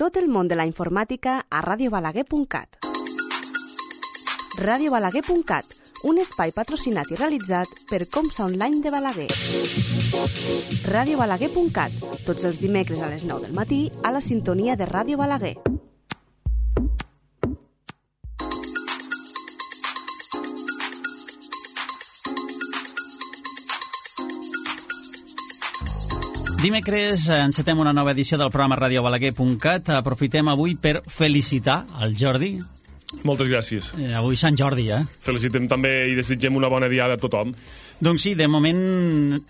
Tot el món de la informàtica a radiobalaguer.cat. radiobalaguer.cat, un espai patrocinat i realitzat per Comsa Online de Balaguer. radiobalaguer.cat, tots els dimecres a les 9 del matí a la sintonia de Ràdio Balaguer. Dimecres encetem una nova edició del programa radiobalaguer.cat. Aprofitem avui per felicitar el Jordi. Moltes gràcies. Avui Sant Jordi, Felicitem també i desitgem una bona diada a tothom. Doncs sí, de moment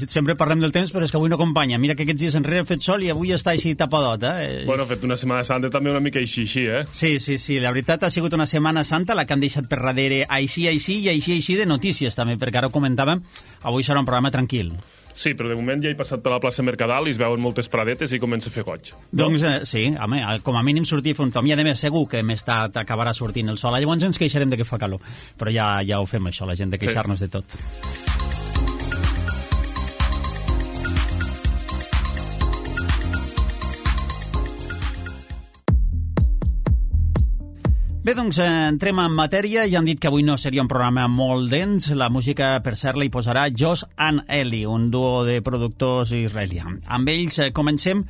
sempre parlem del temps, però és que avui no acompanya. Mira que aquests dies enrere ha fet sol i avui està així tapadot, Bueno, ha fet una Setmana Santa també una mica així, Sí, la veritat ha sigut una Setmana Santa, la que han deixat per darrere així de notícies també, perquè ara ho comentàvem, avui serà un programa tranquil. Sí, però de moment ja he passat per la plaça Mercadal i es veuen moltes pradetes i comença a fer goig. Doncs sí, home, com a mínim sortir a fer un tom. I a més segur que més tard acabarà sortint el sol. Llavors ens queixarem de que fa calor. Però ja ho fem això, la gent, de queixar-nos de tot. Bé, doncs entrem en matèria. Ja han dit que avui no seria un programa molt dens. La música, per cert, la hi posarà Josh and Eli, un duo de productors israelià. Amb ells comencem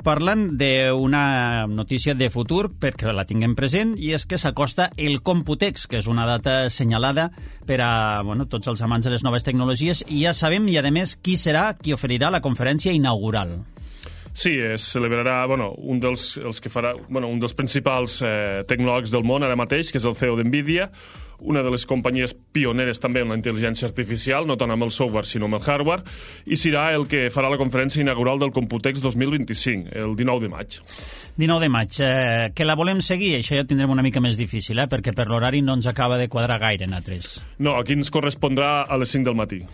parlant d'una notícia de futur, perquè la tinguem present, i és que s'acosta el Computex, que és una data assenyalada per a tots els amants de les noves tecnologies, i ja sabem, i a més, qui serà qui oferirà la conferència inaugural. Sí, es celebrarà un dels principals tecnòlegs del món ara mateix, que és el CEO d'NVIDIA, una de les companyies pioneres també en la intel·ligència artificial, no tant amb el software sinó amb el hardware, i serà el que farà la conferència inaugural del Computex 2025, el 19 de maig. 19 de maig. Que la volem seguir? Això ja ho tindrem una mica més difícil, perquè per l'horari no ens acaba de quadrar gaire en A3. No, aquí ens correspondrà a les 5 del matí.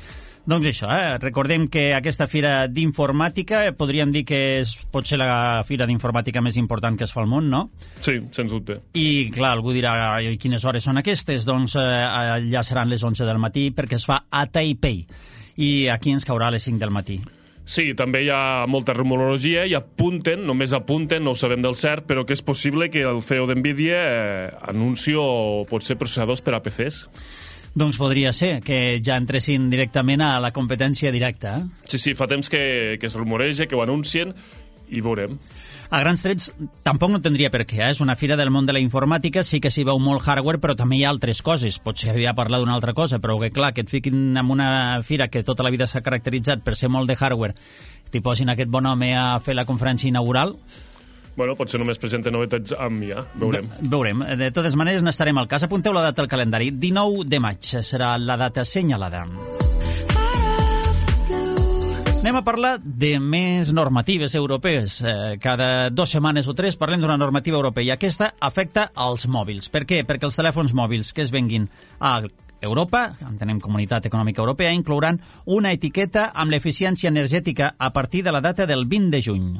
Doncs això, recordem que aquesta fira d'informàtica podríem dir que pot ser la fira d'informàtica més important que es fa al món, no? Sí, sens dubte. I, clar, algú dirà, quines hores són aquestes? Doncs allà seran les 11 del matí perquè es fa a Taipei. I aquí ens caurà a les 5 del matí. Sí, també hi ha molta rumorologia i només apunten, no ho sabem del cert, però que és possible que el CEO d'NVIDIA anunci o potser processadors per a PCs. Doncs podria ser que ja entressin directament a la competència directa. Sí, fa temps que es rumoreja, que ho anuncien, i veurem. A grans trets, tampoc no tindria per què. És una fira del món de la informàtica, sí que s'hi veu molt hardware, però també hi ha altres coses. Potser havia parlat d'una altra cosa, però que clar, que et fiquin en una fira que tota la vida s'ha caracteritzat per ser molt de hardware, t'hi posin aquest bon home a fer la conferència inaugural. Bueno, potser només presenta novetats amb IA, veurem. Veurem. De totes maneres, n'estarem al cas. Apunteu la data al calendari. 19 de maig serà la data assenyalada. Anem a parlar de més normatives europees. Cada 2 setmanes o 3 parlem d'una normativa europea i aquesta afecta als mòbils. Per què? Perquè els telèfons mòbils que es venguin a Europa, entenem Comunitat Econòmica Europea, inclouran una etiqueta amb l'eficiència energètica a partir de la data del 20 de juny.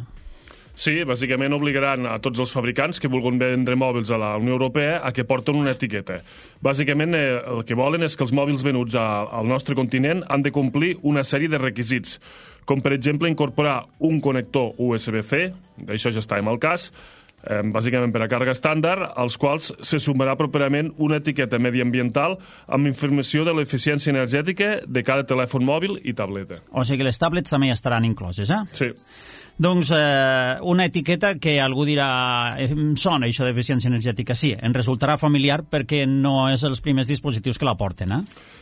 Sí, bàsicament obligaran a tots els fabricants que vulguin vendre mòbils a la Unió Europea a que porten una etiqueta. Bàsicament el que volen és que els mòbils venuts al nostre continent han de complir una sèrie de requisits, com per exemple incorporar un connector USB-C, d'això ja està en el cas, bàsicament per a càrrega estàndard, als quals se sumarà properament una etiqueta mediambiental amb informació de l'eficiència energètica de cada telèfon mòbil i tableta. O sigui que les tablets també estaran incloses, Sí. Doncs una etiqueta que algú dirà sona això d'eficiència energètica. Sí, ens resultarà familiar perquè no és els primers dispositius que la porten,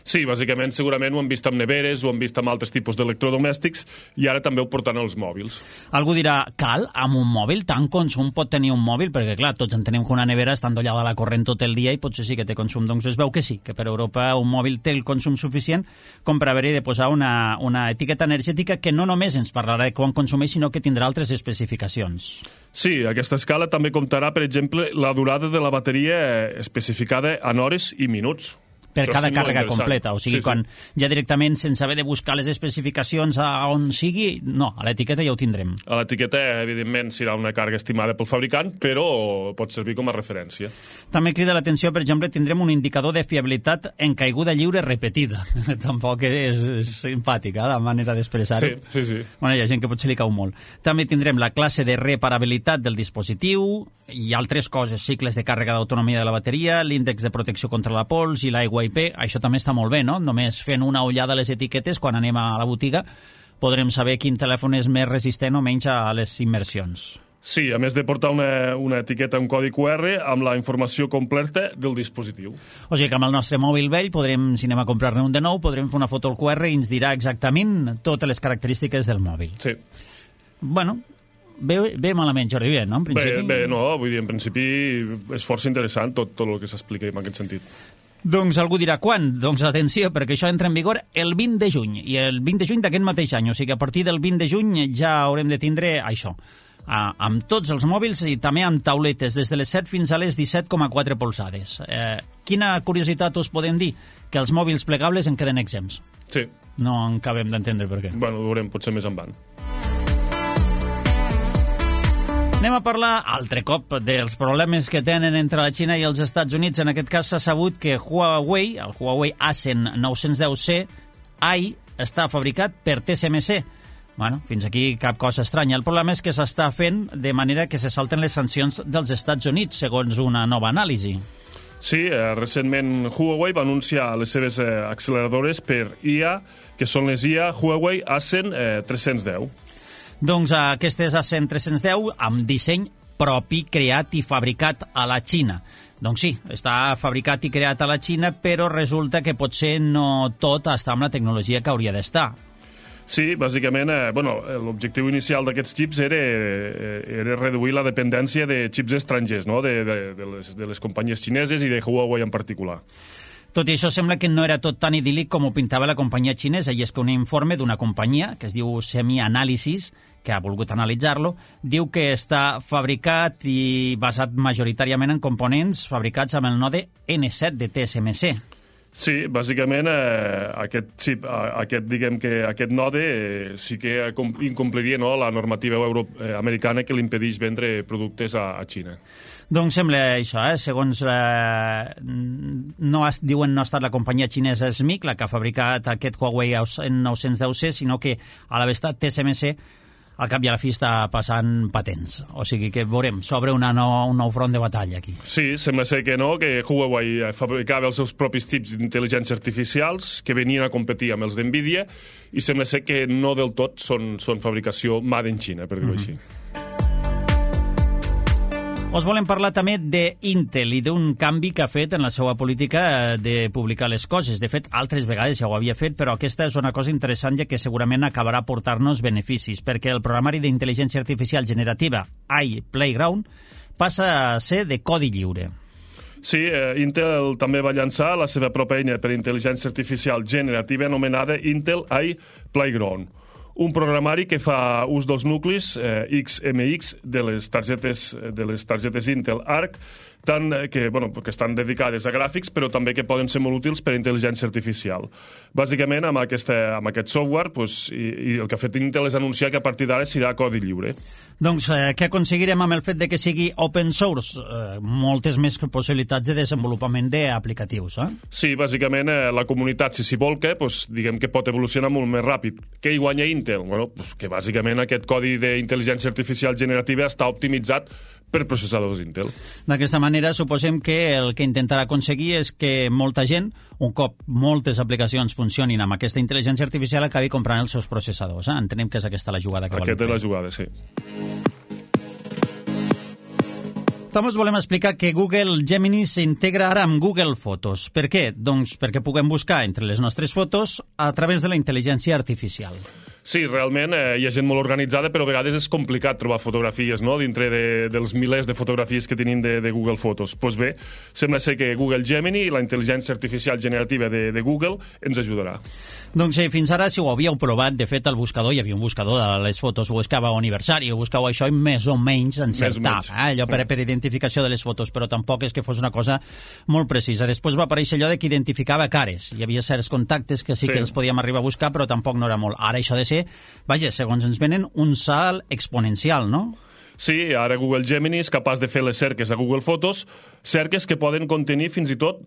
Sí, bàsicament segurament ho han vist amb neveres, ho han vist amb altres tipus d'electrodomèstics i ara també ho porten als mòbils. Algú dirà, cal, amb un mòbil? Tant consum pot tenir un mòbil? Perquè clar, tots entenem que una nevera està endollada a la corrent tot el dia i potser sí que té consum. Doncs es veu que sí, que per Europa un mòbil té el consum suficient com per haver-hi de posar una etiqueta energètica que no només ens parlarà de quan consumeix, sinó que tindrà altres especificacions. Sí, aquesta escala també comptarà, per exemple, la durada de la bateria especificada en hores i minuts. per Això cada sí, molt càrrega interessant. completa. O sigui, quan ja directament, sense haver de buscar les especificacions a on sigui, no, a l'etiqueta ja ho tindrem. A l'etiqueta, evidentment, serà una càrrega estimada pel fabricant, però pot servir com a referència. També crida l'atenció, per exemple, tindrem un indicador de fiabilitat en caiguda lliure repetida. Tampoc és simpàtica, la manera d'expressar-ho. Sí. Bueno, hi ha gent que potser li cau molt. També tindrem la classe de reparabilitat del dispositiu i altres coses, cicles de càrrega d'autonomia de la bateria, l'índex de protecció contra la pols i l'aigua IP. Això també està molt bé, no? Només fent una ullada a les etiquetes quan anem a la botiga podrem saber quin telèfon és més resistent o menys a les immersions. Sí, a més de portar una etiqueta, un codi QR amb la informació completa del dispositiu. O sigui que amb el nostre mòbil vell podrem, si anem a comprar-ne un de nou, podrem fer una foto al QR i ens dirà exactament totes les característiques del mòbil. Sí. Bueno, bé malament, Jordi, bé, no? En principi... Bé, no, vull dir, en principi és força interessant tot el que s'explica en aquest sentit. Doncs algú dirà quan? Doncs atenció, perquè això entra en vigor el 20 de juny, i el 20 de juny d'aquest mateix any, o sigui que a partir del 20 de juny ja haurem de tindre això, amb tots els mòbils i també amb tauletes, des de les 7 fins a les 17,4 polzades. Quina curiositat us podem dir? Que els mòbils plegables en queden exempts. Sí. No en acabem d'entendre per què. Bueno, ho veurem potser més endavant. Anem a parlar altre cop dels problemes que tenen entre la Xina i els Estats Units. En aquest cas s'ha sabut que Huawei, el Huawei Ascend 910C AI, està fabricat per TSMC. Bueno, fins aquí cap cosa estranya. El problema és que s'està fent de manera que se salten les sancions dels Estats Units, segons una nova anàlisi. Sí, recentment Huawei va anunciar les seves acceleradores per IA, que són les IA Huawei Ascend 310. Doncs aquestes Ascend 310 amb disseny propi, creat i fabricat a la Xina. Doncs sí, està fabricat i creat a la Xina, però resulta que potser no tot està amb la tecnologia que hauria d'estar. Sí, bàsicament, l'objectiu inicial d'aquests xips era reduir la dependència de xips estrangers, no? de les companyies xineses i de Huawei en particular. Tot i això, sembla que no era tot tan idíl·lic com ho pintava la companyia xinesa, i és que un informe d'una companyia, que es diu Semi-Analysis, que ha volgut analitzar-lo, diu que està fabricat i basat majoritàriament en components fabricats amb el node N7 de TSMC. Sí, bàsicament aquest node sí que incompliria la normativa americana que li impedeix vendre productes a Xina. Doncs sembla això, segons diuen no ha estat la companyia xinesa SMIC la que ha fabricat aquest Huawei 910C, sinó que a la vegada TSMC al cap i a la fi està passant patents. O sigui que veurem, s'obre un nou front de batalla aquí. Sí, sembla ser que no, que Huawei fabricava els seus propis xips d'intel·ligència artificials que venien a competir amb els d'NVIDIA i sembla ser que no del tot són fabricació made in China, per dir-ho així. Us volem parlar també d'Intel i d'un canvi que ha fet en la seva política de publicar les coses. De fet, altres vegades ja ho havia fet, però aquesta és una cosa interessant ja que segurament acabarà portar-nos beneficis, perquè el programari d'intel·ligència artificial generativa AI Playground passa a ser de codi lliure. Sí, Intel també va llançar la seva pròpia eina per intel·ligència artificial generativa anomenada Intel AI Playground. Un programari que fa ús dels nuclis XMX de les targetes Intel Arc, que estan dedicades a gràfics, però també que poden ser molt útils per a intel·ligència artificial. Bàsicament, amb aquest software, i el que ha fet Intel és anunciar que a partir d'ara serà codi lliure. Doncs què aconseguirem amb el fet de que sigui open source? Moltes més possibilitats de desenvolupament d'aplicatius, Sí, bàsicament la comunitat, si s'hi volca, diguem que pot evolucionar molt més ràpid. Què hi guanya Intel? Que bàsicament aquest codi d'intel·ligència artificial generativa està optimitzat per processadors Intel. D'aquesta manera, suposem que el que intentarà aconseguir és que molta gent, un cop moltes aplicacions funcionin amb aquesta intel·ligència artificial, acabi comprant els seus processadors. Entenem que és aquesta la jugada que volen fer. Aquesta és la jugada, sí. També us volem explicar que Google Gemini s'integra ara amb Google Fotos. Per què? Doncs perquè puguem buscar entre les nostres fotos a través de la intel·ligència artificial. Sí, realment hi ha gent molt organitzada, però a vegades és complicat trobar fotografies, no?, dintre dels milers de fotografies que tenim de Google Fotos. Doncs bé, sembla ser que Google Gemini, la intel·ligència artificial generativa de Google, ens ajudarà. Doncs fins ara, si ho havíeu provat, de fet, al buscador, hi havia un buscador de les fotos, buscava aniversari, buscava això i més o menys encertava, allò per identificació de les fotos, però tampoc és que fos una cosa molt precisa. Després va aparèixer allò de que identificava cares. Hi havia certs contactes que sí que els podíem arribar a buscar, però tampoc no era molt. Ara això de ser, vaja, segons ens venen, un salt exponencial, no? Sí, ara Google Gemini és capaç de fer les cerques a Google Fotos, cerques que poden contenir fins i tot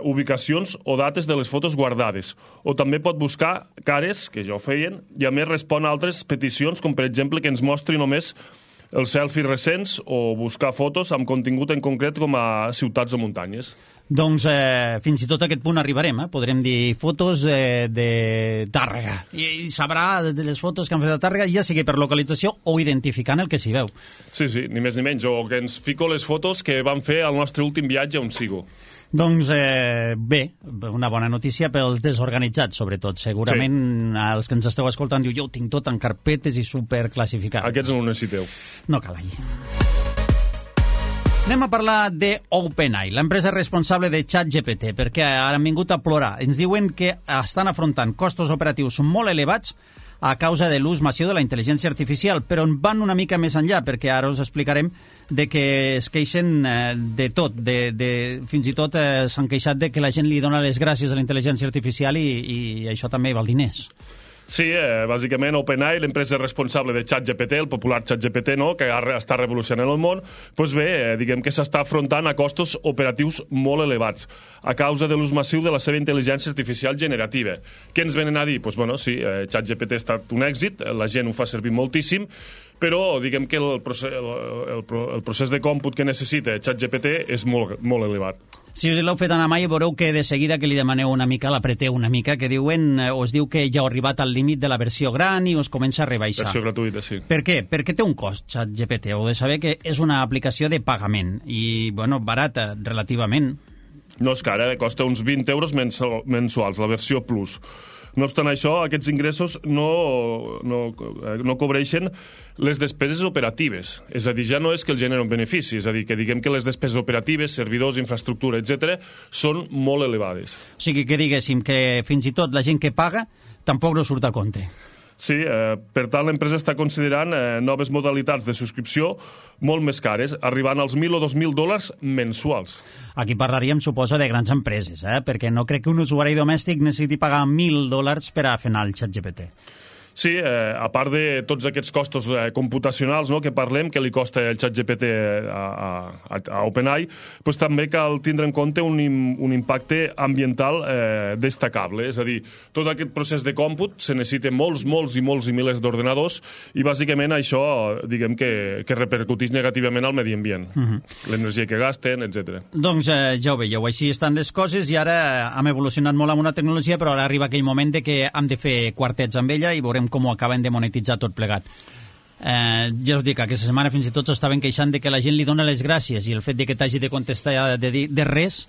ubicacions o dates de les fotos guardades. O també pot buscar cares, que ja ho feien, i a més respon a altres peticions, com per exemple que ens mostri només els selfies recents o buscar fotos amb contingut en concret com a ciutats o muntanyes. Doncs fins i tot a aquest punt arribarem, podrem dir fotos de Tàrrega, i sabrà de les fotos que han fet de Tàrrega, ja sigui per localització o identificant el que s'hi veu. Sí, ni més ni menys, o que ens fico les fotos que vam fer al nostre últim viatge on sigo. Doncs bé, una bona notícia pels desorganitzats, sobretot. Segurament els que ens esteu escoltant diu, jo ho tinc tot en carpetes i superclassificat. Aquests no ho necessiteu. No cal allà. Anem a parlar de OpenAI, l'empresa responsable de ChatGPT, perquè ara han vingut a plorar. Ens diuen que estan afrontant costos operatius molt elevats a causa de l'ús massiu de la intel·ligència artificial, però van una mica més enllà, perquè ara us explicarem de que es queixen de tot, fins i tot s'han queixat de que la gent li dona les gràcies a la intel·ligència artificial i això també val diners. Sí, bàsicament OpenAI, l'empresa responsable de ChatGPT, el popular ChatGPT, no?, que està revolucionant el món, doncs bé, diguem que s'està afrontant a costos operatius molt elevats a causa de l'ús massiu de la seva intel·ligència artificial generativa. Què ens venen a dir? Doncs bueno, sí, ChatGPT ha estat un èxit, la gent ho fa servir moltíssim, però diguem que el procés de còmput que necessita ChatGPT és molt elevat. Si us l'heu fet anar mai, veureu que de seguida que li demaneu una mica, l'apreteu una mica, que us diu que ja heu arribat al límit de la versió gran i us comença a rebaixar. Versió gratuïta, sí. Per què? Perquè té un cost, ChatGPT. Heu de saber que és una aplicació de pagament i, bueno, barata, relativament. No és cara, costa uns 20 euros mensuals, la versió Plus. No obstant això, aquests ingressos no cobreixen les despeses operatives. És a dir, ja no és que el genera un benefici, és a dir, que diguem que les despeses operatives, servidors, infraestructura, etc., són molt elevades. O sigui, que diguéssim que fins i tot la gent que paga tampoc no surt a compte. Sí, per tant, l'empresa està considerant noves modalitats de subscripció molt més cares, arribant als $1.000 o $2.000 mensuals. Aquí parlaríem, suposo, de grans empreses, perquè no crec que un usuari domèstic necessiti pagar $1.000 per a fer anar el ChatGPT. Sí, a part de tots aquests costos computacionals, no?, que parlem, que li costa el ChatGPT a OpenAI, doncs també cal tindre en compte un impacte ambiental destacable. És a dir, tot aquest procés de còmput se necessita molts i milers d'ordenadors i bàsicament això, diguem que repercuteix negativament al medi ambient. L'energia que gasten, etc. Doncs ja ho veieu, així estan les coses i ara hem evolucionat molt amb una tecnologia, però ara arriba aquell moment de que hem de fer quartets amb ella i veurem com ho acaben de monetitzar tot plegat. Ja us dic, aquesta setmana fins i tot s'estaven queixant de que la gent li dona les gràcies i el fet de que t'hagi de contestar de res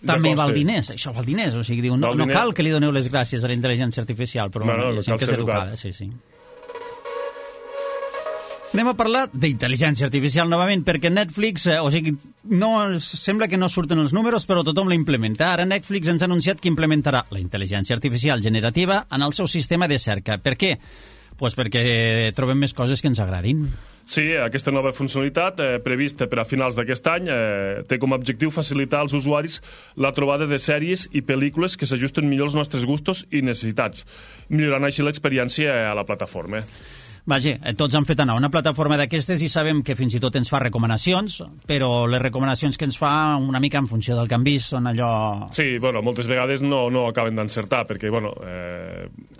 també val diners. Això val diners, o sigui, diu, no cal que li doneu les gràcies a la intel·ligència artificial, però hi ha gent que és educada. Sí. Anem a parlar d'intel·ligència artificial novament, perquè Netflix, o sigui, sembla que no surten els números, però tothom la implementa. Ara Netflix ens ha anunciat que implementarà la intel·ligència artificial generativa en el seu sistema de cerca. Per què? Doncs perquè trobem més coses que ens agradin. Sí, aquesta nova funcionalitat, prevista per a finals d'aquest any, té com a objectiu facilitar als usuaris la trobada de sèries i pel·lícules que s'ajusten millor als nostres gustos i necessitats, millorant així l'experiència a la plataforma. Vaja, tots han fet anar una plataforma d'aquestes i sabem que fins i tot ens fa recomanacions, però les recomanacions que ens fa una mica en funció del que han vist són allò... Sí, bueno, moltes vegades no acaben d'encertar, perquè, bueno,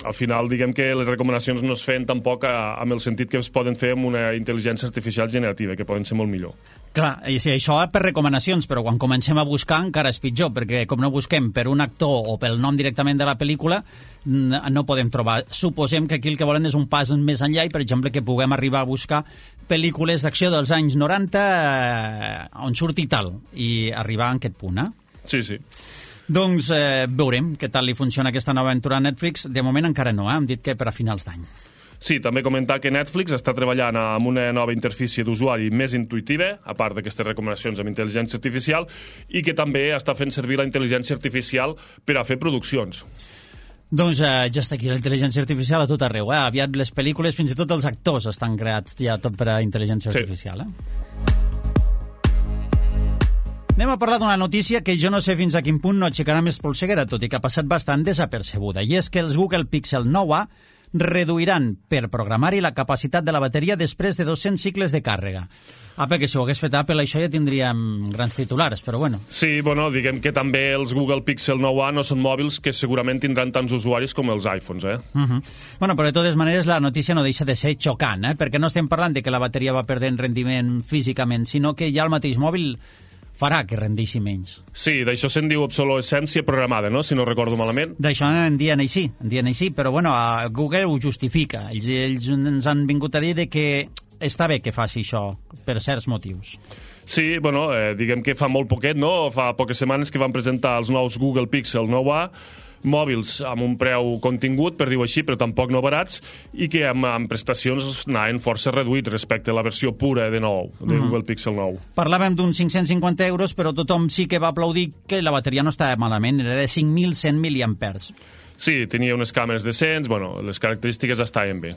al final diguem que les recomanacions no es feien tampoc amb el sentit que es poden fer amb una intel·ligència artificial generativa, que poden ser molt millor. Clar, i sí, això per recomanacions, però quan comencem a buscar encara és pitjor, perquè com no busquem per un actor o pel nom directament de la pel·lícula, no podem trobar. Suposem que aquí el que volen és un pas més enllà i, per exemple, que puguem arribar a buscar pel·lícules d'acció dels anys 90 on surti tal, i arribar a aquest punt, Sí. Doncs veurem què tal li funciona aquesta nova aventura a Netflix. De moment encara no, hem dit que per a finals d'any. Sí, també comentar que Netflix està treballant amb una nova interfície d'usuari més intuïtiva, a part d'aquestes recomanacions amb intel·ligència artificial, i que també està fent servir la intel·ligència artificial per a fer produccions. Doncs ja està aquí la intel·ligència artificial a tot arreu. Aviat les pel·lícules, fins i tot els actors estan creats ja tot per a intel·ligència artificial. Anem a parlar d'una notícia que jo no sé fins a quin punt no aixecarà més polseguera, tot i que ha passat bastant desapercebuda, i és que els Google Pixel 9a reduiran per programari la capacitat de la bateria després de 200 cicles de càrrega. Perquè si ho hagués fet Apple això ja tindríem grans titulars, però bueno. Sí, bueno, diguem que també els Google Pixel 9a no són mòbils que segurament tindran tants usuaris com els iPhones, Bueno, però de totes maneres la notícia no deixa de ser xocant, perquè no estem parlant de que la bateria va perdent rendiment físicament, sinó que ja el mateix mòbil farà que rendeixi menys. Sí, d'això se'n diu obsolescència programada, no?, si no recordo malament. D'això en dien així, però bueno, Google ho justifica. Ells ens han vingut a dir que està bé que faci això per certs motius. Sí, bueno, diguem que fa molt poquet, no?, fa poques setmanes que van presentar els nous Google Pixel 9a, mòbils amb un preu contingut, per dir-ho així, però tampoc no barats, i que amb prestacions anaven força reduïts respecte a la versió pura de Google Pixel 9. Parlàvem d'uns 550 euros, però tothom sí que va aplaudir que la bateria no estava malament, era de 5.100 miliampers. Sí, tenia unes càmeres decents, bueno, les característiques estaven bé.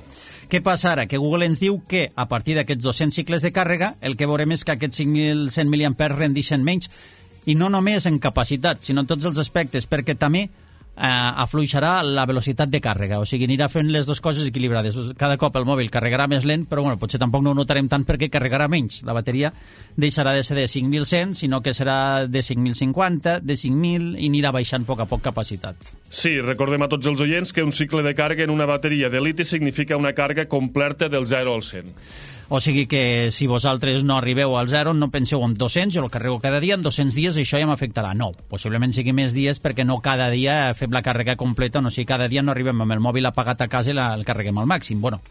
Què passa ara? Que Google ens diu que a partir d'aquests 200 cicles de càrrega el que veurem és que aquests 5.100 miliampers rendixen menys, i no només en capacitat, sinó en tots els aspectes, perquè també afluixarà la velocitat de càrrega, o sigui, anirà fent les dues coses equilibrades. Cada cop el mòbil carregarà més lent, però bueno, potser tampoc no ho notarem tant perquè carregarà menys. La bateria deixarà de ser de 5.100, sinó que serà de 5.050, de 5.000, i anirà baixant a poc capacitat. Sí, recordem a tots els oients que un cicle de càrrega en una bateria de liti significa una càrrega completa del 0 al 100. O sigui que si vosaltres no arribeu al 0, no penseu en 200, jo el carrego cada dia, en 200 dies això ja m'afectarà. No, possiblement sigui més dies perquè no cada dia fem la càrrega completa, no sigui cada dia no arribem amb el mòbil apagat a casa i el carreguem al màxim. Bueno,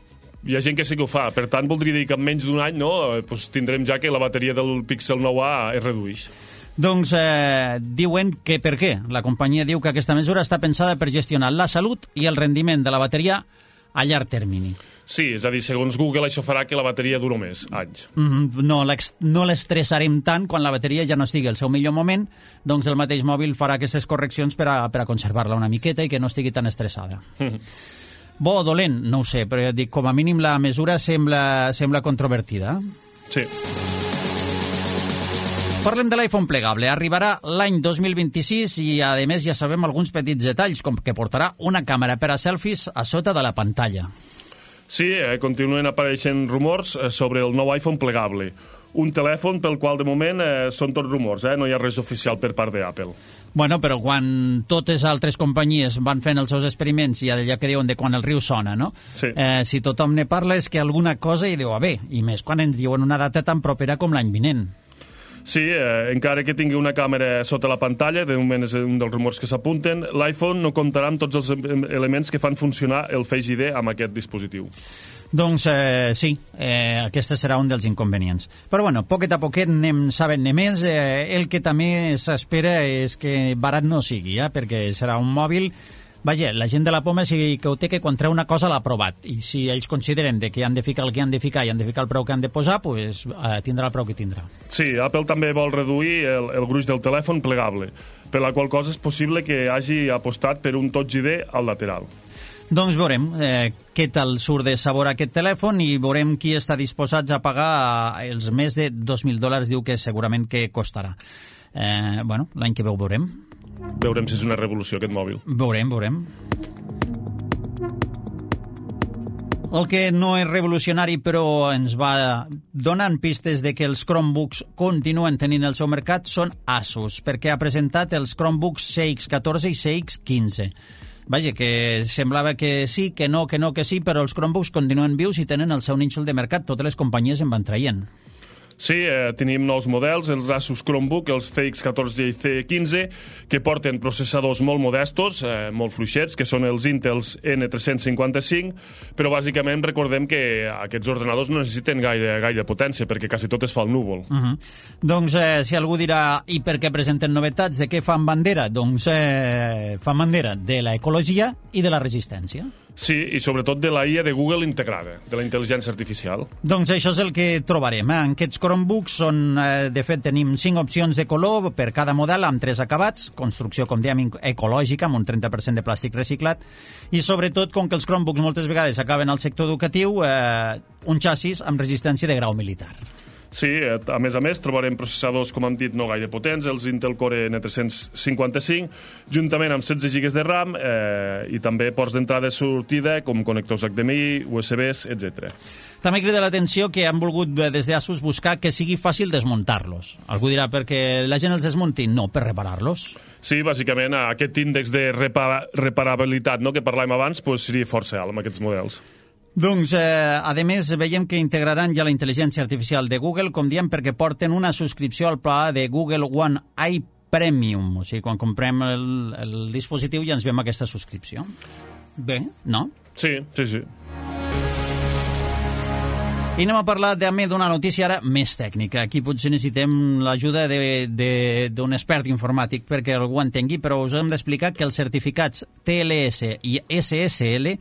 hi ha gent que sí que ho fa, per tant voldria dir que en menys d'un any pues tindrem ja que la bateria del Pixel 9a es redueix. Doncs diuen que per què? La companyia diu que aquesta mesura està pensada per gestionar la salut i el rendiment de la bateria a llarg termini. Sí, és a dir, segons Google això farà que la bateria duri més anys. No l'estressarem tant quan la bateria ja no estigui al seu millor moment, doncs el mateix mòbil farà aquestes correccions per a conservar-la una miqueta i que no estigui tan estressada. Bo o dolent, no ho sé, però ja dic, com a mínim la mesura sembla controvertida. Sí. Parlem de l'iPhone plegable. Arribarà l'any 2026 i, a més, ja sabem alguns petits detalls, com que portarà una càmera per a selfies a sota de la pantalla. Sí, continuen apareixent rumors sobre el nou iPhone plegable. Un telèfon pel qual, de moment, són tots rumors, no hi ha res oficial per part d'Apple. Bueno, però quan totes altres companyies van fent els seus experiments, i allà que diuen de quan el riu sona, no? Sí. Si tothom ne parla és que alguna cosa hi deu haver, i més quan ens diuen una data tan propera com l'any vinent. Sí, encara que tingui una càmera sota la pantalla, de moment és un dels rumors que s'apunten, l'iPhone no comptarà amb tots els elements que fan funcionar el Face ID amb aquest dispositiu. Doncs sí, aquest serà un dels inconvenients. Però bueno, poquet a poquet anem sabent-ne més. El que també s'espera és que barat no sigui, perquè serà un mòbil. Vaja, la gent de la poma sí que ho té, que quan treu una cosa l'ha provat, i si ells consideren que han de ficar el que han de ficar i han de ficar el preu que han de posar, pues, tindrà el preu que tindrà. Sí, Apple també vol reduir el gruix del telèfon plegable, per la qual cosa és possible que hagi apostat per un Touch ID al lateral. Doncs veurem què tal surt de sabor aquest telèfon i veurem qui està disposat a pagar els més de $2.000, diu que segurament que costarà. Bueno, l'any que ve ho veurem. Veurem si és una revolució aquest mòbil. Veurem. El que no és revolucionari, però ens va donant pistes de que els Chromebooks continuen tenint el seu mercat, són Asus, perquè ha presentat els Chromebooks CX14 i CX15. Vaja, que semblava que sí, que no, que sí, però els Chromebooks continuen vius i tenen el seu nínxol de mercat. Totes les companyies en van traient. Sí, tenim nous models, els Asus Chromebook, els CX14 i C15, que porten processadors molt modestos, molt fluixets, que són els Intels N355, però bàsicament recordem que aquests ordenadors no necessiten gaire potència, perquè quasi tot es fa al núvol. Doncs si algú dirà, i per què presenten novetats, de què fan bandera? Doncs fan bandera de l'ecologia i de la resistència. Sí, i sobretot de la IA de Google integrada, de la intel·ligència artificial. Doncs això és el que trobarem. En aquests Chromebooks de fet, tenim 5 opcions de color per cada model amb 3 acabats, construcció, com dèiem, ecològica, amb un 30% de plàstic reciclat, i sobretot, com que els Chromebooks moltes vegades acaben al sector educatiu, un xassis amb resistència de grau militar. Sí, a més, trobarem processadors, com hem dit, no gaire potents, els Intel Core N355, juntament amb 16 GB de RAM i també ports d'entrada i sortida, com connectors HDMI, USBs, etc. També crida l'atenció que han volgut des d'Asus buscar que sigui fàcil desmuntar-los. Algú dirà perquè la gent els desmunti? No, per reparar-los. Sí, bàsicament aquest índex de reparabilitat que parlàvem abans seria força alt amb aquests models. Doncs, a més, veiem que integraran ja la intel·ligència artificial de Google, com diem, perquè porten una subscripció al pla de Google One Eye Premium. O sigui, quan comprem el dispositiu ja ens veiem aquesta subscripció. Bé, no? Sí. I anem a parlar també d'una notícia ara més tècnica. Aquí potser necessitem l'ajuda d'un expert informàtic perquè algú entengui, però us hem d'explicar que els certificats TLS i SSL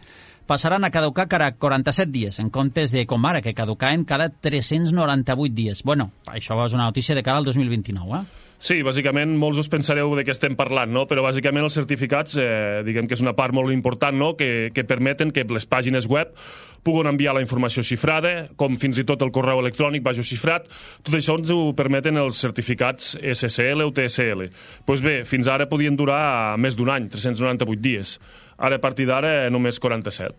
passaran a caducar cada 47 dies, en comptes de, com ara, que caducaven cada 398 dies. Bueno, això és una notícia de cara al 2029, Sí, bàsicament, molts us pensareu de què estem parlant, però bàsicament els certificats, diguem que és una part molt important, que permeten que les pàgines web puguen enviar la informació xifrada, com fins i tot el correu electrònic vagi xifrat. Tot això ens ho permeten els certificats SSL o TSL. Doncs bé, fins ara podien durar més d'un any, 398 dies. Ara, a partir d'ara, només 47.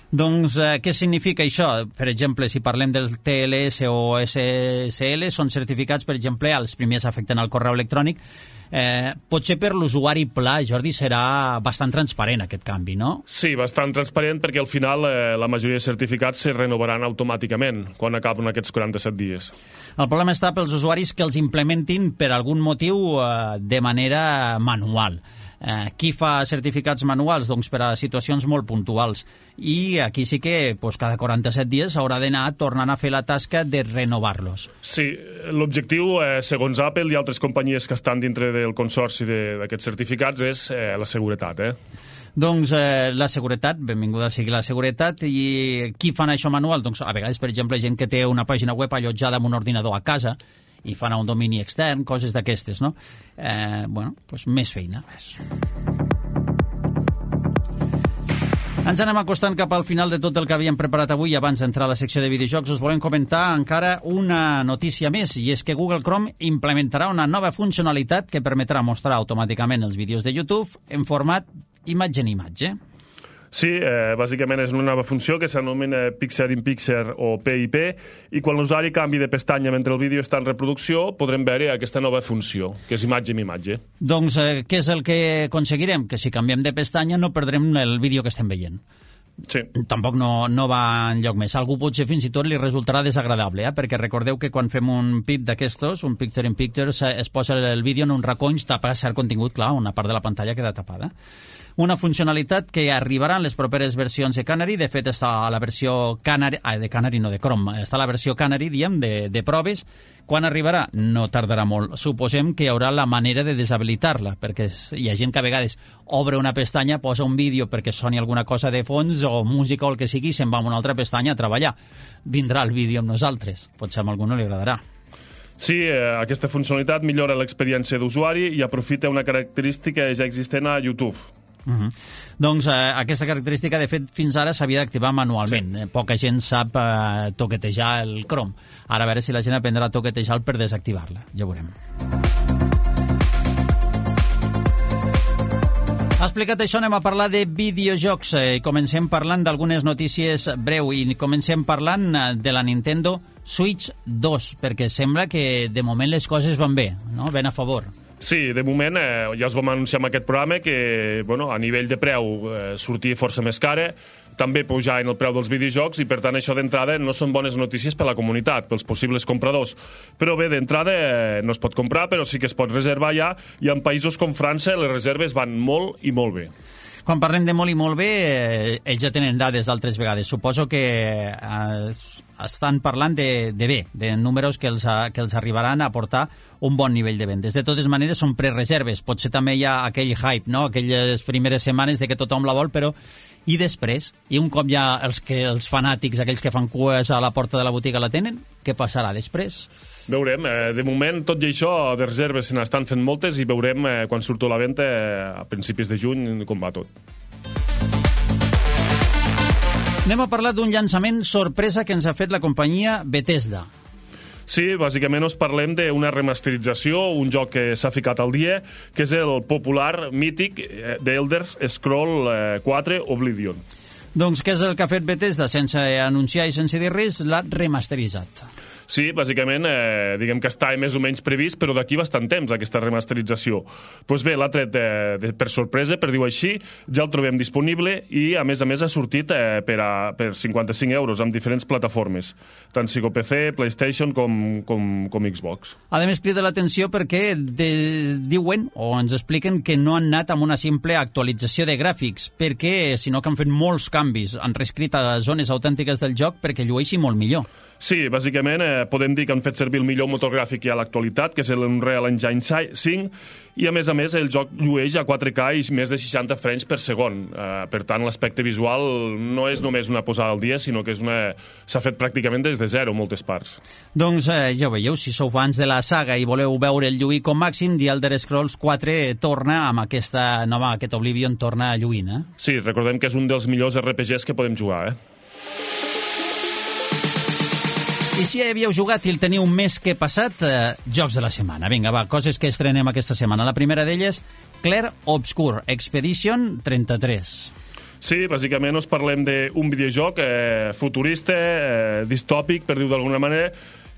Doncs què significa això? Per exemple, si parlem del TLS o SSL, són certificats, per exemple, els primers afecten al correu electrònic. Potser per l'usuari pla, Jordi, serà bastant transparent aquest canvi, no? Sí, bastant transparent, perquè al final la majoria de certificats se renovaran automàticament quan acaben aquests 47 dies. El problema està pels usuaris que els implementin per algun motiu de manera manual. Qui fa certificats manuals? Doncs per a situacions molt puntuals. I aquí sí que cada 47 dies haurà d'anar tornant a fer la tasca de renovar-los. Sí, l'objectiu, segons Apple i altres companyies que estan dintre del consorci d'aquests certificats, és la seguretat. Doncs la seguretat, benvinguda sigui la seguretat. I qui fan això manual? Doncs a vegades, per exemple, gent que té una pàgina web allotjada en un ordinador a casa i fan a un domini extern, coses d'aquestes, no? Més feina, res. Ens anem acostant cap al final de tot el que havíem preparat avui. Abans d'entrar a la secció de videojocs us volem comentar encara una notícia més, i és que Google Chrome implementarà una nova funcionalitat que permetrà mostrar automàticament els vídeos de YouTube en format imatge en imatge. Sí, bàsicament és una nova funció que s'anomena Picture-in-Picture o PIP, i quan l'usuari canvi de pestanya mentre el vídeo està en reproducció podrem veure aquesta nova funció, que és imatge en imatge. Doncs què és el que aconseguirem? Que si canviem de pestanya no perdrem el vídeo que estem veient. Sí. Tampoc no va enlloc més. Algú potser fins i tot li resultarà desagradable, perquè recordeu que quan fem un PIP d'aquestos, un Picture-in-Picture, es posa el vídeo en un racó i es tapa cert contingut, clar, una part de la pantalla queda tapada. Una funcionalitat que arribarà en les properes versions de Canary. De fet, està a la versió Canary, de Canary no, de Chrome, està a la versió Canary, diem, de proves. Quan arribarà? No tardarà molt. Suposem que hi haurà la manera de deshabilitar-la, perquè hi ha gent que a vegades obre una pestanya, posa un vídeo perquè soni alguna cosa de fons o música o el que sigui, i se'n va a una altra pestanya a treballar. Vindrà el vídeo amb nosaltres. Potser a algú no li agradarà. Sí, aquesta funcionalitat millora l'experiència d'usuari i aprofita una característica ja existent a YouTube. Doncs aquesta característica, de fet, fins ara s'havia d'activar manualment. Sí. Poca gent sap toquetejar el Chrome. Ara a veure si la gent aprendrà a toquetejar per desactivar-la. Ja ho veurem. Explicat això, anem a parlar de videojocs. Comencem parlant d'algunes notícies breu i comencem parlant de la Nintendo Switch 2, perquè sembla que de moment les coses van bé, no? Ben a favor. Sí, de moment ja us vam anunciar en aquest programa que a nivell de preu sortia força més cara, també pujar en el preu dels videojocs, i per tant això d'entrada no són bones notícies per a la comunitat, pels possibles compradors. Però bé, d'entrada no es pot comprar, però sí que es pot reservar ja, i en països com França les reserves van molt i molt bé. Quan parlem de molt i molt bé, ells ja tenen dades d'altres vegades. Suposo que estan parlant de bé, de números que els arribaran a aportar un bon nivell de vendes. De totes maneres, són prereserves. Potser també hi ha aquell hype, no? Aquelles primeres setmanes de que tothom la vol, però I després, i un cop ja els fanàtics, aquells que fan cues a la porta de la botiga la tenen, què passarà després? Veurem. De moment, tot i això, de reserves se n'estan fent moltes i veurem quan surto a la venda a principis de juny com va tot. Anem a parlar d'un llançament sorpresa que ens ha fet la companyia Bethesda. Sí, bàsicament us parlem d'una remasterització, un joc que s'ha ficat al dia, que és el popular, mític, The Elder Scrolls 4 Oblivion. Doncs què és el que ha fet Bethesda? Sense anunciar i sense dir res, l'ha remasteritzat. Sí, bàsicament, diguem que està més o menys previst, però d'aquí bastant temps, aquesta remasterització. Doncs bé, l'ha tret per sorpresa, per dir-ho així, ja el trobem disponible i, a més, ha sortit per 55 euros amb diferents plataformes, tant sigui PC, PlayStation com Xbox. A més, crida l'atenció perquè diuen, o ens expliquen, que no han anat amb una simple actualització de gràfics, perquè, sinó que han fet molts canvis, han reescrit a zones autèntiques del joc perquè llueixi molt millor. Sí, bàsicament podem dir que han fet servir el millor motor gràfic que hi ha a l'actualitat, que és l'Unreal Engine 5, i a més el joc llueix a 4K i més de 60 frames per segon. Per tant, l'aspecte visual no és només una posada al dia, sinó que s'ha fet pràcticament des de zero en moltes parts. Doncs ja ho veieu, si sou fans de la saga i voleu veure el lluir com màxim, The Elder Scrolls 4 torna amb aquest Oblivion torna a lluir, Sí, recordem que és un dels millors RPGs que podem jugar, I si ja havíeu jugat i el teniu més que passat, jocs de la setmana. Vinga, va, coses que estrenem aquesta setmana. La primera d'elles, Clair Obscur Expedition 33. Sí, bàsicament us parlem d'un videojoc futurista, distòpic, per dir-ho d'alguna manera,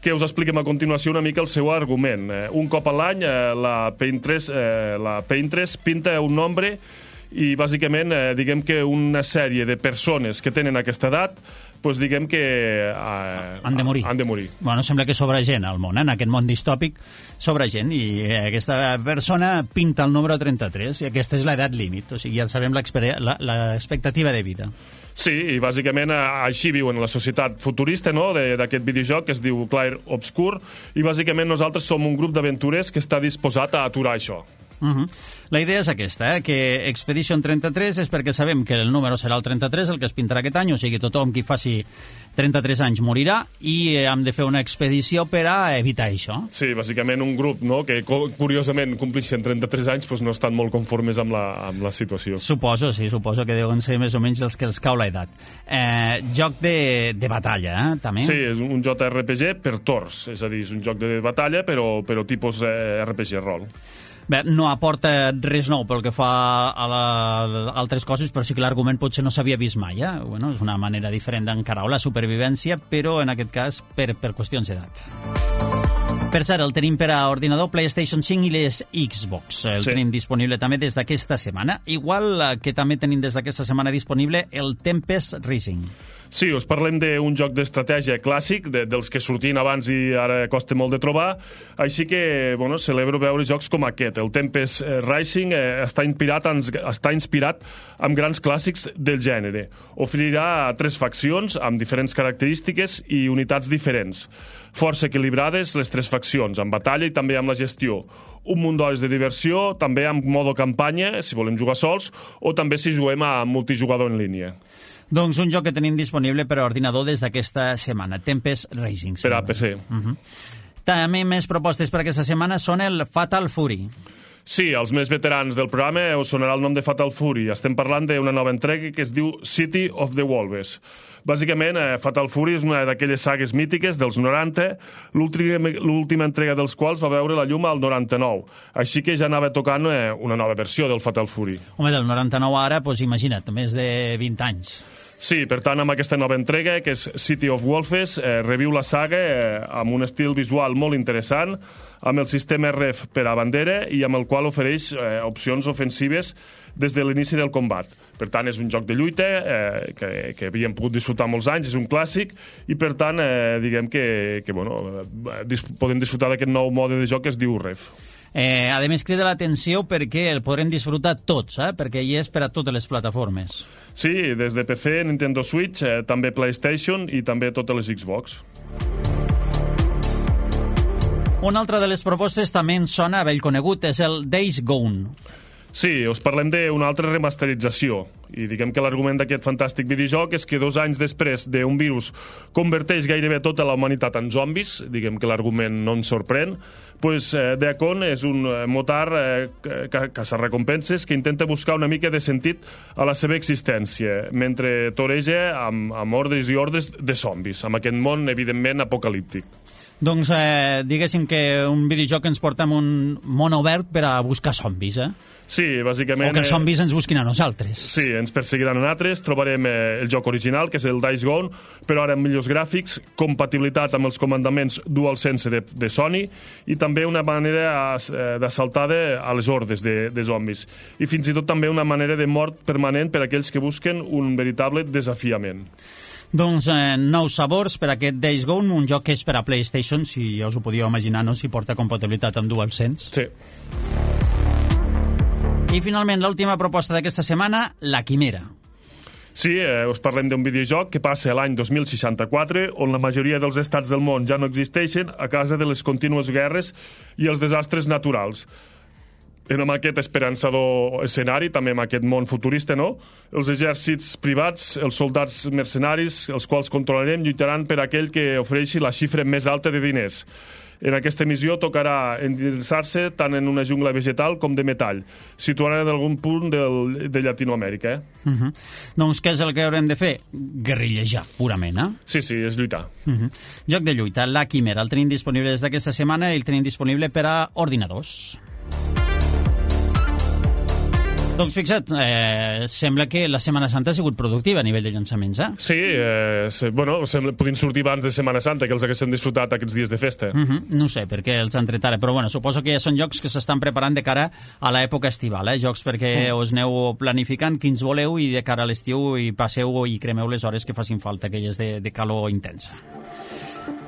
que us expliquem a continuació una mica el seu argument. Un cop a l'any, la Painterest pinta un nombre i, bàsicament, diguem que una sèrie de persones que tenen aquesta edat doncs diguem que han de morir. Bueno, sembla que sobra gent al món, en aquest món distòpic sobra gent, i aquesta persona pinta el número 33, i aquesta és l'edat límit, o sigui, ja sabem l'expectativa de vida. Sí, i bàsicament així viuen la societat futurista, no?, d'aquest videojoc que es diu Clair Obscur, i bàsicament nosaltres som un grup d'aventurers que està disposat a aturar això. La idea és aquesta, que Expedition 33 és perquè sabem que el número serà el 33, el que es pintarà aquest any, o sigui, tothom qui faci 33 anys morirà, i hem de fer una expedició per a evitar això. Sí, bàsicament un grup, no?, que curiosament complixen 33 anys, doncs no estan molt conformes amb la situació. Suposo que deuen ser més o menys els que els cau l'edat. Joc de batalla, també? Sí, és un JRPG per torns, és a dir, és un joc de batalla, però tipus RPG rol. Bé, no aporta res nou pel que fa a altres coses, però sí que l'argument potser no s'havia vist mai. Bueno, és una manera diferent d'encarar la supervivència, però en aquest cas per qüestions d'edat. Per cert, el tenim per a ordinador, PlayStation 5 i les Xbox. El tenim disponible també des d'aquesta setmana. Igual que també tenim des d'aquesta setmana disponible el Tempest Rising. Sí, us parlem d'un joc d'estratègia clàssic, dels que sortien abans i ara costa molt de trobar, així que, bueno, celebro veure jocs com aquest. El Tempest Rising està inspirat amb grans clàssics del gènere. Oferirà 3 faccions amb diferents característiques i unitats diferents. Força equilibrades les 3 faccions, amb batalla i també amb la gestió. Un munt d'hores de diversió, també amb modo campanya, si volem jugar sols, o també si juguem a multijugador en línia. Doncs un joc que tenim disponible per a ordinador des d'aquesta setmana, Tempest Rising. Per a PC. També més propostes per aquesta setmana són el Fatal Fury. Sí, els més veterans del programa us sonarà el nom de Fatal Fury. Estem parlant d'una nova entrega que es diu City of the Wolves. Bàsicament, Fatal Fury és una d'aquelles sagues mítiques dels 90, l'última entrega dels quals va veure la llum al 99. Així que ja anava tocant una nova versió del Fatal Fury. Home, del 99 ara, doncs imagina't, més de 20 anys. Sí, per tant, amb aquesta nova entrega, que és City of Wolves, reviu la saga amb un estil visual molt interessant, amb el sistema RF per a bandera i amb el qual ofereix opcions ofensives des de l'inici del combat. Per tant, és un joc de lluita que havíem pogut disfrutar molts anys, és un clàssic, i per tant, diguem que podem disfrutar d'aquest nou mode de joc que es diu RF. A més, crida l'atenció perquè el podrem disfrutar tots, perquè hi és per a totes les plataformes. Sí, des de PC, Nintendo Switch, també PlayStation i també totes les Xbox. Una altra de les propostes també ens sona vell conegut, és el Days Gone. Sí, us parlem d'una altra remasterització. I diguem que l'argument d'aquest fantàstic videojoc és que 2 anys després d'un virus converteix gairebé tota la humanitat en zombis, diguem que l'argument no ens sorprèn, doncs Deacon és un motar caça-recompenses que intenta buscar una mica de sentit a la seva existència, mentre toreja amb ordres i ordres de zombis, amb aquest món, evidentment, apocalíptic. Doncs diguéssim que un videojoc ens porta en un món obert per a buscar zombis, Sí, bàsicament... O que els zombis ens busquin a nosaltres. Sí, ens perseguiran a nosaltres, trobarem el joc original, que és el Days Gone, però ara amb millors gràfics, compatibilitat amb els comandaments DualSense de Sony i també una manera d'assaltada a les hordes de zombis. I fins i tot també una manera de mort permanent per a aquells que busquen un veritable desafiament. Doncs nous sabors per aquest Days Gone, un joc que és per a PlayStation, si ja us ho podíeu imaginar, no? Si porta compatibilitat amb DualSense. Sí. I finalment, l'última proposta d'aquesta setmana, La Quimera. Sí, us parlem d'un videojoc que passa l'any 2064, on la majoria dels estats del món ja no existeixen a causa de les contínues guerres i els desastres naturals. En aquest esperançador escenari, també en aquest món futurista, no? Els exèrcits privats, els soldats mercenaris, els quals controlarem, lluitaran per aquell que ofereixi la xifra més alta de diners. En aquesta missió tocarà endinsar-se tant en una jungla vegetal com de metall, situada en algun punt de Llatinoamèrica. Doncs què és el que haurem de fer? Guerrillejar, purament, Sí, és lluitar. Joc de lluita, La Quimera. El tenim disponible des d'aquesta setmana i el tenim disponible per a ordinadors. Doncs fixa't, sembla que la Setmana Santa ha sigut productiva a nivell de llançaments, Sí, podien sortir abans de Setmana Santa, que els haguessin disfrutat aquests dies de festa. No sé per què els han tret ara, però suposo que ja són jocs que s'estan preparant de cara a l'època estival, jocs perquè us aneu planificant quins voleu i de cara a l'estiu i passeu i cremeu les hores que facin falta, aquelles de calor intensa.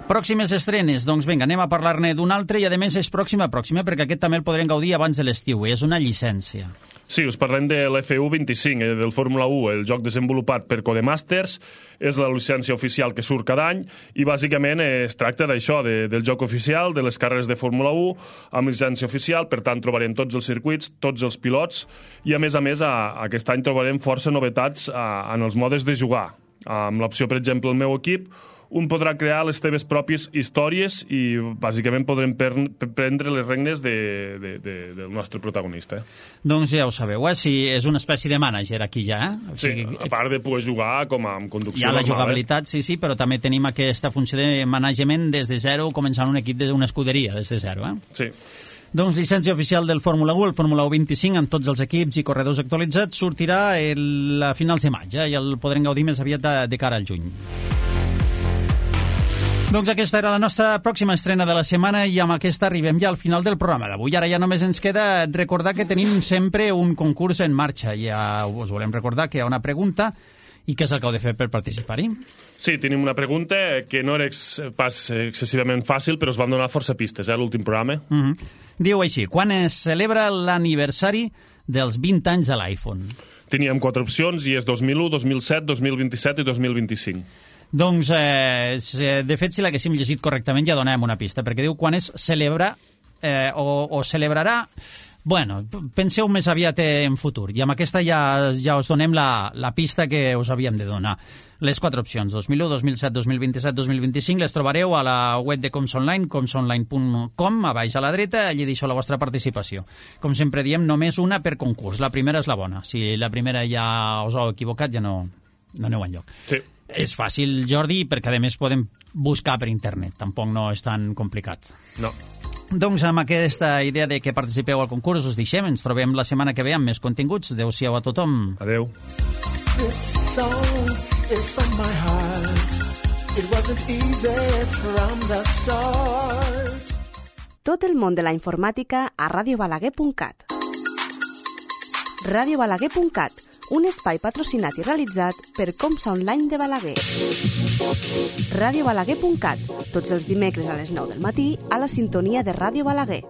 Pròximes estrenes, doncs vinga, anem a parlar-ne d'un altre i a més és pròxima, perquè aquest també el podrem gaudir abans de l'estiu, és una llicència. Sí, us parlem de l'F1-25, del Fórmula 1, el joc desenvolupat per Codemasters, és la llicència oficial que surt cada any i bàsicament es tracta d'això, del joc oficial, de les carreres de Fórmula 1, amb llicència oficial, per tant trobarem tots els circuits, tots els pilots i a més, aquest any trobarem força novetats en els modes de jugar. Amb l'opció, per exemple, el meu equip, un podrà crear les teves pròpies històries i bàsicament podrem prendre les regnes del nostre protagonista. Doncs ja ho sabeu, si és una espècie de mànager aquí ja. Sí, a part de poder jugar com amb conducció normal. Hi ha la jugabilitat, sí, però també tenim aquesta funció de management des de zero, començant un equip d'una escuderia des de zero. Sí. Doncs llicència oficial del Fórmula 1, el Fórmula 1 25, amb tots els equips i corredors actualitzats, sortirà a finals de maig, i el podrem gaudir més aviat de cara al juny. Doncs aquesta era la nostra pròxima estrena de la setmana i amb aquesta arribem ja al final del programa d'avui. Ara ja només ens queda recordar que tenim sempre un concurs en marxa. Ja us volem recordar que hi ha una pregunta i què és el que heu de fer per participar-hi. Sí, tenim una pregunta que no era pas excessivament fàcil, però us vam donar força pistes, l'últim programa. Diu així, quan es celebra l'aniversari dels 20 anys de l'iPhone? Teníem 4 opcions i és 2001, 2007, 2027 i 2025. Doncs, de fet, si l'haguéssim llegit correctament ja donem una pista, perquè diu quan es celebra o celebrarà... Bueno, penseu més aviat en futur, i amb aquesta ja us donem la pista que us havíem de donar. Les 4 opcions, 2001, 2007, 2027, 2025, les trobareu a la web de Comsonline, comsonline.com, a baix a la dreta, allí deixeu la vostra participació. Com sempre diem, només una per concurs, la primera és la bona. Si la primera ja us heu equivocat, ja no aneu enlloc. Sí. És fàcil, Jordi, perquè a més podem buscar per internet. Tampoc no és tan complicat. No. Doncs amb aquesta idea de que participeu al concurs us deixem. Ens trobem la setmana que ve amb més continguts. Adéu-siau a tothom. Adéu. This song is from my heart. It wasn't easy from the start. Tot el món de la informàtica a radiobalaguer.cat. radiobalaguer.cat, un espai patrocinat i realitzat per Comsa Online de Balaguer. radiobalaguer.cat, tots els dimecres a les 9 del matí a la sintonia de Ràdio Balaguer.